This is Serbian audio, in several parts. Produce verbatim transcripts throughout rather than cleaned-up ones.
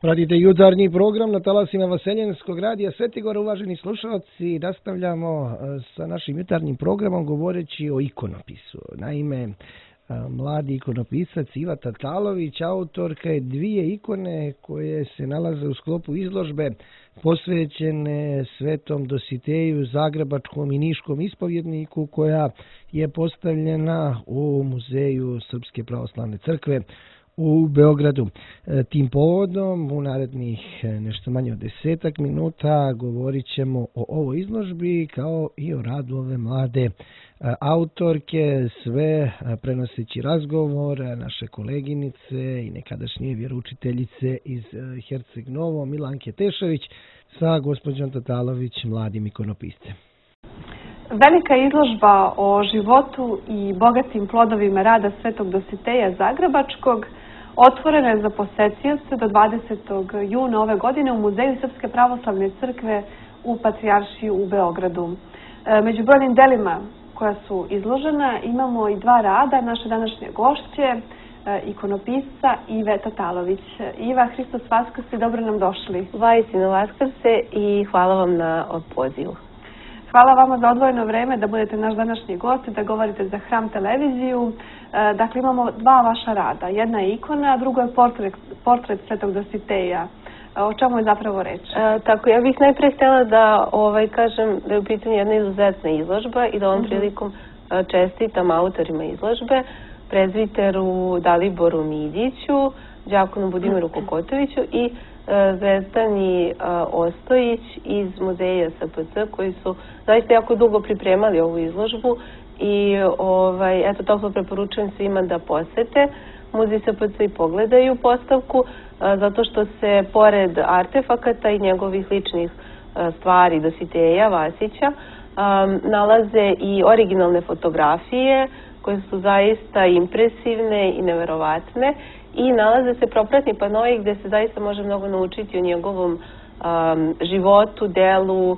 Pratite jutarnji program na talasima Vaseljenskog radija Svetigora, uvaženi slušalci. Nastavljamo sa našim jutarnjim programom govoreći o ikonopisu. Naime, mladi ikonopisac Iva Tatalović, autorka je dvije ikone koje se nalaze u sklopu izložbe posvećene Svetom Dositeju, zagrebačkom i niškom ispovjedniku, koja je postavljena u Muzeju Srpske pravoslavne crkve u Beogradu. Tim povodom u narednih nešto manje od desetak minuta govorit ćemo o ovoj izložbi kao i o radu ove mlade autorke, sve prenoseći razgovor naše koleginice i nekadašnje vjeroučiteljice iz Herceg Novo, Milanke Tešović, sa gospođom Tatalović, mladim ikonopiscem. Velika izložba o životu i bogatim plodovima rada Svetog Dositeja Zagrebačkog otvorena je za posetioce do dvadesetog juna ove godine u Muzeju Srpske pravoslavne crkve u Patrijaršiji u Beogradu. Među brojnim delima koja su izložena imamo i dva rada naše današnje gošće, ikonopisca Ive Tatalović. Iva, Hristos Vaskrse, dobro nam došli. Vajsino Vaskrse i hvala vam na pozivu. Hvala vama za odvojeno vreme da budete naš današnji gost, da govorite za Hram televiziju. Dakle, imamo dva vaša rada. Jedna je ikona, a drugo je portret, portret Svetog Dositeja. O čemu je zapravo reč? E, tako, ja bih najprije htjela da ovaj, kažem da je u pitanju jedna izuzetna izložba i da ovom uh-huh. prilikom čestitam autorima izložbe, prezviteru Daliboru Midiću, đakonu Budimiru Kokotoviću i Zvezdani Ostojić iz Muzeja S P C, koji su zaista jako dugo pripremali ovu izložbu i ovaj, eto, toplo preporučujem svima da posete Muzej S P C i pogledaju postavku, zato što se pored artefakata i njegovih ličnih stvari Dositeja Vasića nalaze i originalne fotografije koje su zaista impresivne i neverovatne. I nalaze se propratni panoi gdje se zaista može mnogo naučiti o njegovom um, životu, delu, uh,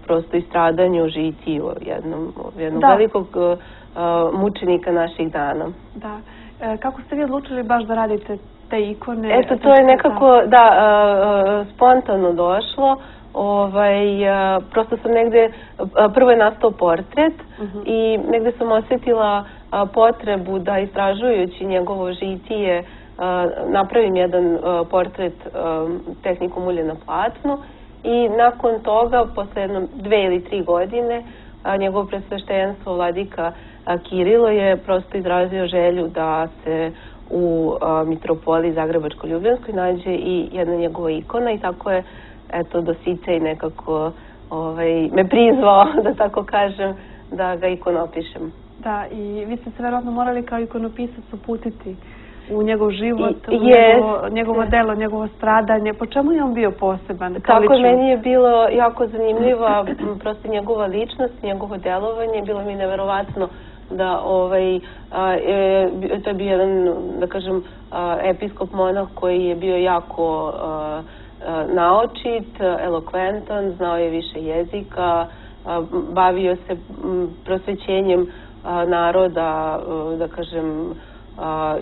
prosto i stradanju, žitiju jednom, jednog velikog uh, mučenika naših dana. Da. E, kako ste vi odlučili baš da radite te ikone? Eto, to je nekako, da, uh, spontano došlo. Ovaj, uh, prosto sam negde, uh, prvo je nastao portret uh-huh. i negde sam osjetila uh, potrebu da istražujući njegovo žitije uh, napravim jedan uh, portret uh, tehnikom ulje na platnu i nakon toga, posle jedno dve ili tri godine, uh, njegovo presveštenstvo vladika uh, Kirilo je prosto izrazio želju da se u uh, mitropoliji Zagrebačko-Ljubljanskoj nađe i jedna njegova ikona i tako je eto, Dositej nekako ovaj, me prizvao, da tako kažem, da ga ikonopišem. Da, i vi ste se verovatno morali kao ikonopisac uputiti u njegov život, I, u njegovo, njegovo delo, njegovo stradanje. Po čemu je on bio poseban? Tako je, meni je bilo jako zanimljiva prosto njegova ličnost, njegovo delovanje. Bilo mi neverovatno da ovaj, a, e, to je bio jedan, da kažem, a, episkop monah koji je bio jako a, naočit, elokventan, znao je više jezika, bavio se prosvećenjem naroda, da kažem,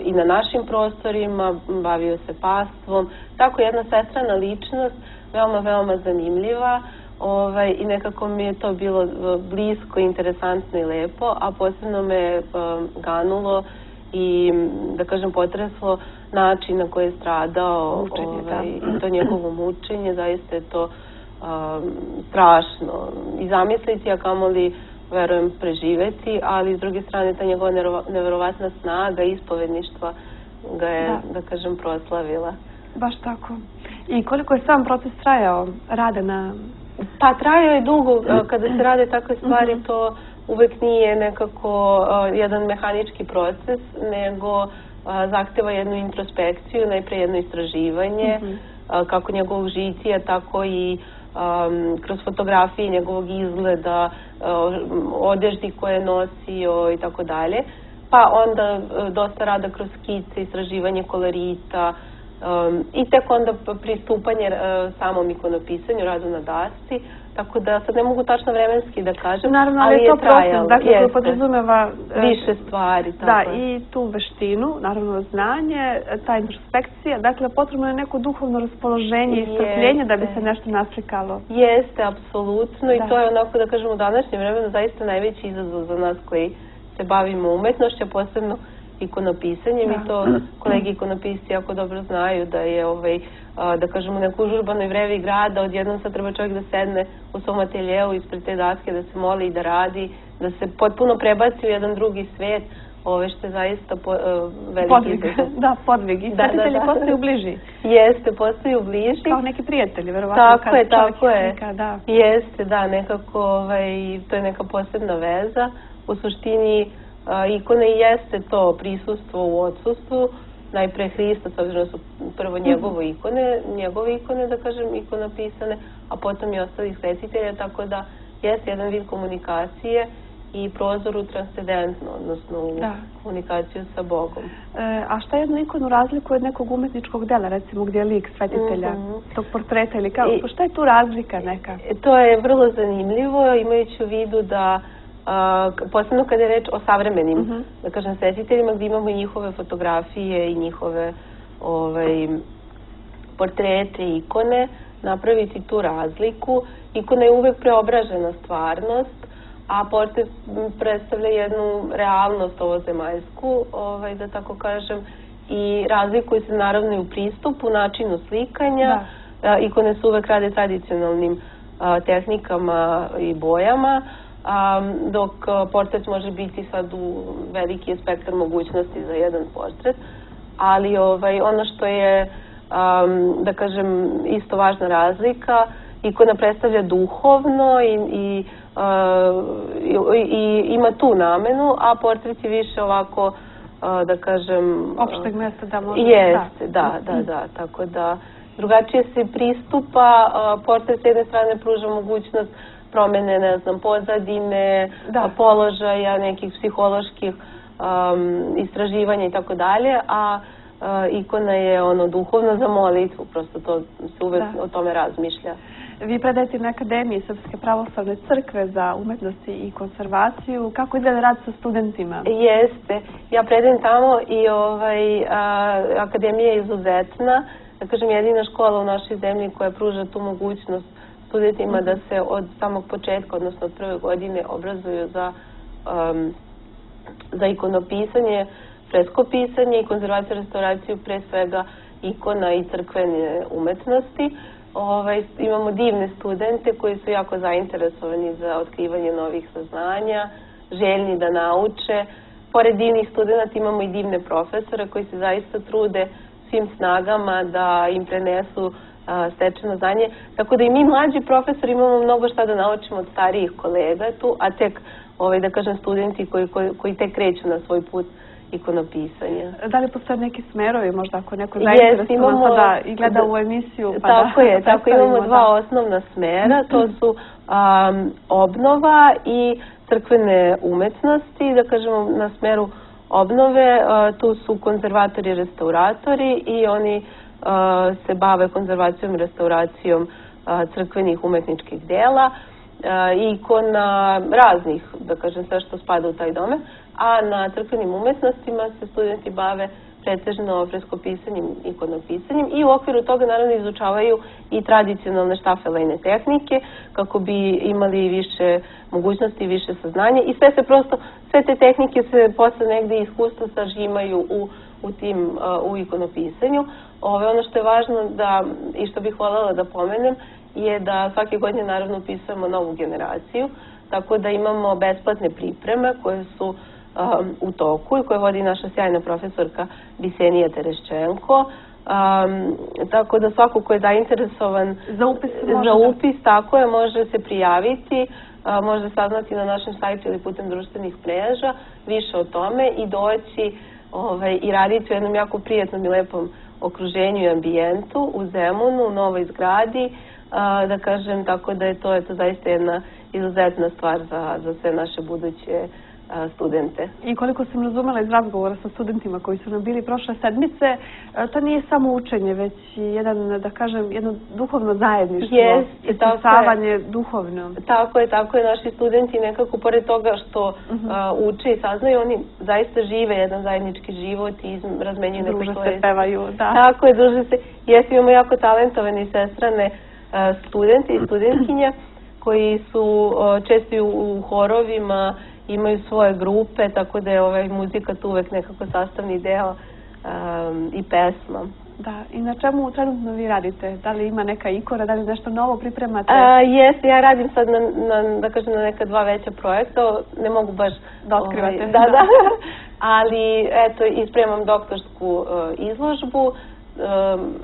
i na našim prostorima, bavio se pastvom. Tako jedna sestrana ličnost, veoma, veoma zanimljiva ovaj, i nekako mi je to bilo blisko, interesantno i lepo, a posebno me ganulo i, da kažem, potreslo način na koji je stradao mučenje, ovaj, i to njegovo mučenje, zaista je to um, strašno i zamisliti, a kamoli, verujem, preživeti, ali s druge strane ta njegova neverovatna snaga ispovedništva ga je, da. da kažem, proslavila. Baš tako. I koliko je sam proces trajao rada na... Pa trajao je dugo, kada se rade takve stvari, to uvek nije nekako uh, jedan mehanički proces, nego uh, zahteva jednu introspekciju, najpre jedno istraživanje, uh-huh. uh, kako njegovog žitija, tako i um, kroz fotografije njegovog izgleda, uh, odeždi koje je nosio i tako dalje. Pa onda uh, dosta rada kroz skice, istraživanje kolorita, i tek onda pristupanje samom ikonopisanju, radu na dasci, tako da sad ne mogu tačno vremenski da kažem, naravno, ali je to trajalo. Dakle, koji podrazumeva više stvari. Da, i tu veštinu, naravno znanje, ta introspekcija, dakle potrebno je neko duhovno raspoloženje i strpljenje da bi se nešto naslikalo. Jeste, apsolutno, i to je onako da kažemo u današnjem vremenu zaista najveći izazov za nas koji se bavimo umetnošću, posebno ikonopisanjem, i to kolegi ikonopisti jako dobro znaju da je, da kažemo, u nekoj užurbanoj vrevi grada odjednom sad treba čovjek da sedne u svom ateljeu ispred te daske, da se moli i da radi, da se potpuno prebaci u jedan drugi svet, ove što je zaista veliki izazov. Da, podvig. I svetitelji postaju bliži. Jeste, postaju bliži. Kao neki prijatelji, verovatno. Tako je, tako je. Jeste, da, nekako to je neka posebna veza. U suštini ikone i jeste to prisustvo u odsustvu, najpre Hrista, s obzirom da su prvo njegove ikone, njegove ikone, da kažem, ikonopisane, a potom i ostalih svetitelja, tako da jeste jedan vid komunikacije i prozor u transcendentno, odnosno u komunikaciju sa Bogom. A šta jednu ikonu razlikuje od nekog umetničkog dela, recimo gdje je lik svetitelja, tog portreta ili kao, šta je tu razlika neka? To je vrlo zanimljivo, imajući u vidu da posebno kada je reč o savremenim, da kažem, svetiteljima, gdje imamo i njihove fotografije i njihove portrete i ikone, napraviti tu razliku. Ikona je uvek preobražena stvarnost, a portret predstavlja jednu realnost ovozemaljsku, da tako kažem, i razlikuje se naravno i u pristupu, načinu slikanja. Ikone su uvek rade tradicionalnim tehnikama i bojama, dok portret može biti sad u veliki spektar mogućnosti za jedan portret, ali ono što je, da kažem, isto važna razlika, ikona predstavlja duhovno i ima tu namenu, a portret je više ovako, da kažem... Opšteg mjesta da može... Jeste, da, da, da, tako da drugačije se pristupa, portret s jedne strane pruža mogućnost promene, ne znam, pozadine, položaja, nekih psiholoških istraživanja i tako dalje, a ikona je ono duhovno za molitvu, prosto to se uvek o tome razmišlja. Vi predajete na Akademiji Srpske pravoslavne crkve za umetnost i konzervaciju. Kako izgleda rad sa studentima? Jeste. Ja predajem tamo i Akademija je izuzetna. Da kažem, jedina škola u našoj zemlji koja pruža tu mogućnost studentima da se od samog početka, odnosno od prve godine, obrazuju za ikonopisanje, freskopisanje i konzervaciju, restauraciju, pre svega ikona i crkvene umetnosti. Imamo divne studente koji su jako zainteresovani za otkrivanje novih saznanja, željni da nauče. Pored divnih studenta imamo i divne profesore koji se zaista trude svim snagama da im prenesu stečeno znanje. Tako da i mi mlađi profesori imamo mnogo šta da naučimo od starijih kolega tu, a tek, da kažem, studenti koji tek kreću na svoj put ikonopisanja. Da li postoje neki smerovi, možda ako neko zainteresovan pa da i gleda ovu emisiju? Tako je, tako imamo dva osnovna smera, to su obnova i crkvene umetnosti, da kažemo na smeru obnove, tu su konzervatori i restauratori i oni se bave konzervacijom i restauracijom crkvenih umetničkih dela, ikona raznih, da kažem, sve što spada u taj domen, a na crkvenim umetnostima se studenti bave pretežno freskopisanjem i ikonopisanjem i u okviru toga naravno izučavaju i tradicionalne štafelejne tehnike kako bi imali više mogućnosti i više saznanja i sve se prosto, sve te tehnike se posle negde iskustvo sažimaju u tim, u ikonopisanju. Ono što je važno da, i što bih voljela da pomenem, je da svake godine naravno upisujemo novu generaciju, tako da imamo besplatne pripreme koje su u toku i koje vodi naša sjajna profesorka Bisenija Tereščenko. Tako da svako ko je zainteresovan za upis, tako je, može se prijaviti, može saznati na našem sajtu ili putem društvenih mreža više o tome i doći i raditi u jednom jako prijatnom i lepom okruženju i ambijentu u Zemunu, u novoj zgradi, da kažem, tako da je to zaista jedna izuzetna stvar za sve naše buduće studente. I koliko sam razumela iz razgovora sa studentima koji su nam bili prošle sedmice, to nije samo učenje, već i jedan, da kažem, jedno duhovno zajedništvo, ispisavanje duhovno. Tako je, tako je. Naši studenti nekako, pored toga što uče i saznaju, oni zaista žive jedan zajednički život i razmenjuju neke svoje... Druže se, pevaju, da. Tako je, druže se. Jesi, imamo jako talentovane i sestrane studenti i studentkinje koji su često u horovima, imaju svoje grupe, tako da je ovaj muzika tu uvek nekako sastavni deo um, i pesma. Da, i na čemu trenutno vi radite? Da li ima neka ikora, da li nešto novo pripremate? Jeste, ja radim sad na, na, da kažem, na neka dva veća projekta, ne mogu baš... Da otkrivate. Ovaj, da, da, ali eto, ispremam doktorsku uh, izložbu, um,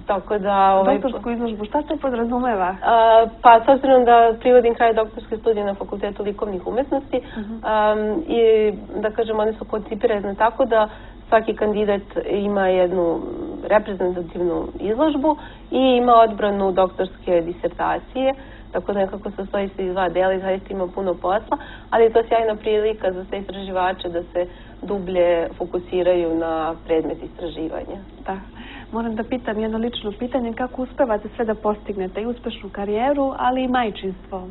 tako da... Ovaj, doktorsku izložbu, šta se podrazumeva? Uh, pa, s obzirom da privodim kraj doktorske studije na Fakultetu likovnih umetnosti, uh -huh. um, i da kažem, one su koncipirane tako da svaki kandidat ima jednu reprezentativnu izložbu i ima odbranu doktorske disertacije, tako da nekako se stoji se iz dva dela i zaista ima puno posla, ali je to sjajna prilika za sve istraživače da se dublje fokusiraju na predmet istraživanja. Da. Moram da pitam jedno lično pitanje, kako uspevate sve da postignete i uspešnu karijeru, ali i majčinstvo?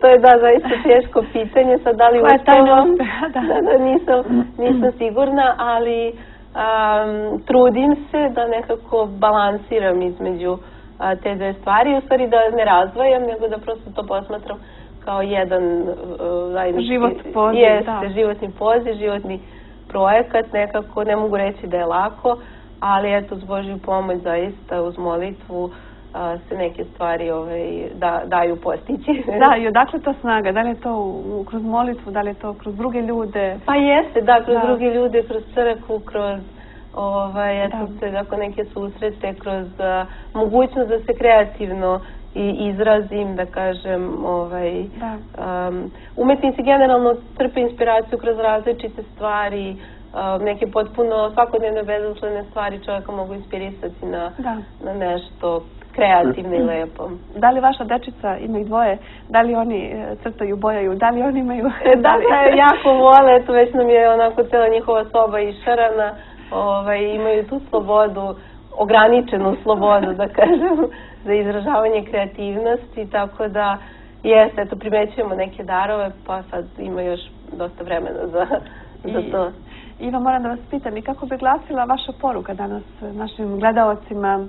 To je da, zaista teško pitanje, sad da li uspevam, da, da, nisam, nisam sigurna, ali um, trudim se da nekako balansiram između uh, te dve stvari, u stvari da ne razdvajam, nego da prosto to posmatram kao jedan uh, zajednički... Život poziv, jeste, da. životni poziv, životni projekat, nekako ne mogu reći da je lako, ali eto, s Božju pomoć zaista uz molitvu a, se neke stvari ovaj, da, daju postići. Da, i odakle to snaga? Da li je to u, kroz molitvu, da li je to kroz druge ljude? Pa jeste, da, kroz da. druge ljude, kroz crkvu, kroz ovaj, eto, da. Tako neke susrete, kroz a, mogućnost da se kreativno i izrazim, da kažem, ovaj, da. Um, umetnici generalno crpe inspiraciju kroz različite stvari, Uh, neke potpuno svakodnevne bezuslene stvari čovjeka mogu inspirisati na, na nešto kreativno i lepo. Da li vaša dečica, ima ih dvoje, da li oni crtaju, bojaju, da li oni imaju... Da, da, jako vole, eto već nam je onako cijela njihova soba išarana, ovaj, imaju tu slobodu, ograničenu slobodu, da kažem, za izražavanje kreativnosti, tako da jeste, eto, primećujemo neke darove, pa sad ima još dosta vremena za, za to. Iva, moram da vas pitam, i kako bi glasila vaša poruka danas našim gledaocima?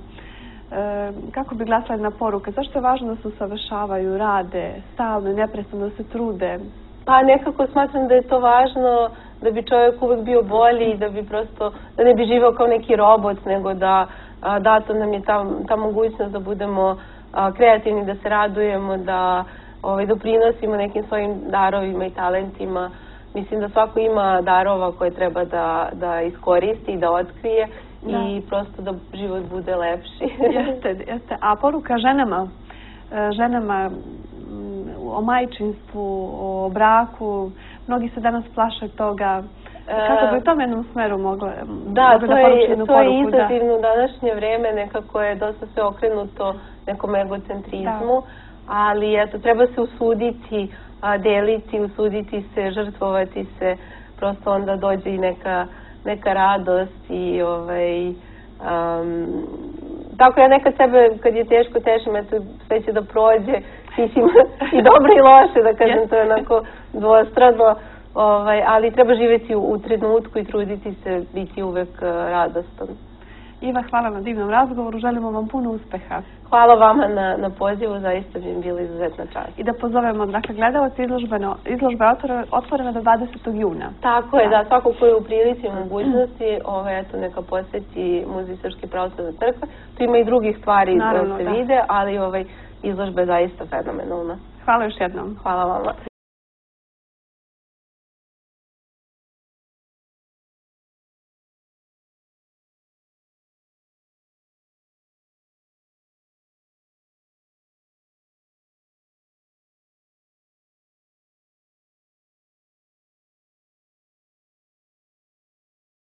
E, kako bi glasila jedna poruka? Zašto je važno da se usavršavaju, rade, stalno i neprestano da se trude? Pa nekako smatram da je to važno da bi čovjek uvek bio bolji i da bi prosto, da ne bi živao kao neki robot, nego da a, dato nam je ta, ta mogućnost da budemo a, kreativni, da se radujemo, da ovaj, doprinosimo nekim svojim darovima i talentima. Mislim da svako ima darova koje treba da, da iskoristi i da otkrije da. I prosto da život bude lepši. Jeste, jeste. A poruka ženama, ženama o majčinstvu, o braku, mnogi se danas plaše toga. Kako bi u tom jednom smeru mogla da, mogla to da poruči jednu to poruku? Je izazivno u današnje vrijeme, nekako je dosta sve okrenuto nekom egocentrizmu, da. Ali eto, treba se usuditi, a, deliti, usuditi se, žrtvovati se, prosto onda dođe i neka, neka radost i ovaj, um, tako ja nekad sebe, kad je teško, tešim, eto, sve će da prođe, mislim, i dobro i loše, da kažem, to je onako dvostrano, ovaj, ali treba živjeti u, u trenutku i truditi se, biti uvek uh, radostan. Iva, hvala na divnom razgovoru, želimo vam puno uspeha. Hvala vama na, na pozivu, zaista bi mi bila izuzetna čast. I da pozovemo, dakle, gledalci, izložba je otvorena do dvadesetog juna. Tako je, da, da svako ko je u prilici i mogućnosti, ovaj, eto, neka posjeti Muzej Srpske pravoslavne crkve. Tu ima i drugih stvari da se vide, ali ovaj, izložba je zaista fenomenalna. Hvala još jednom. Hvala vama.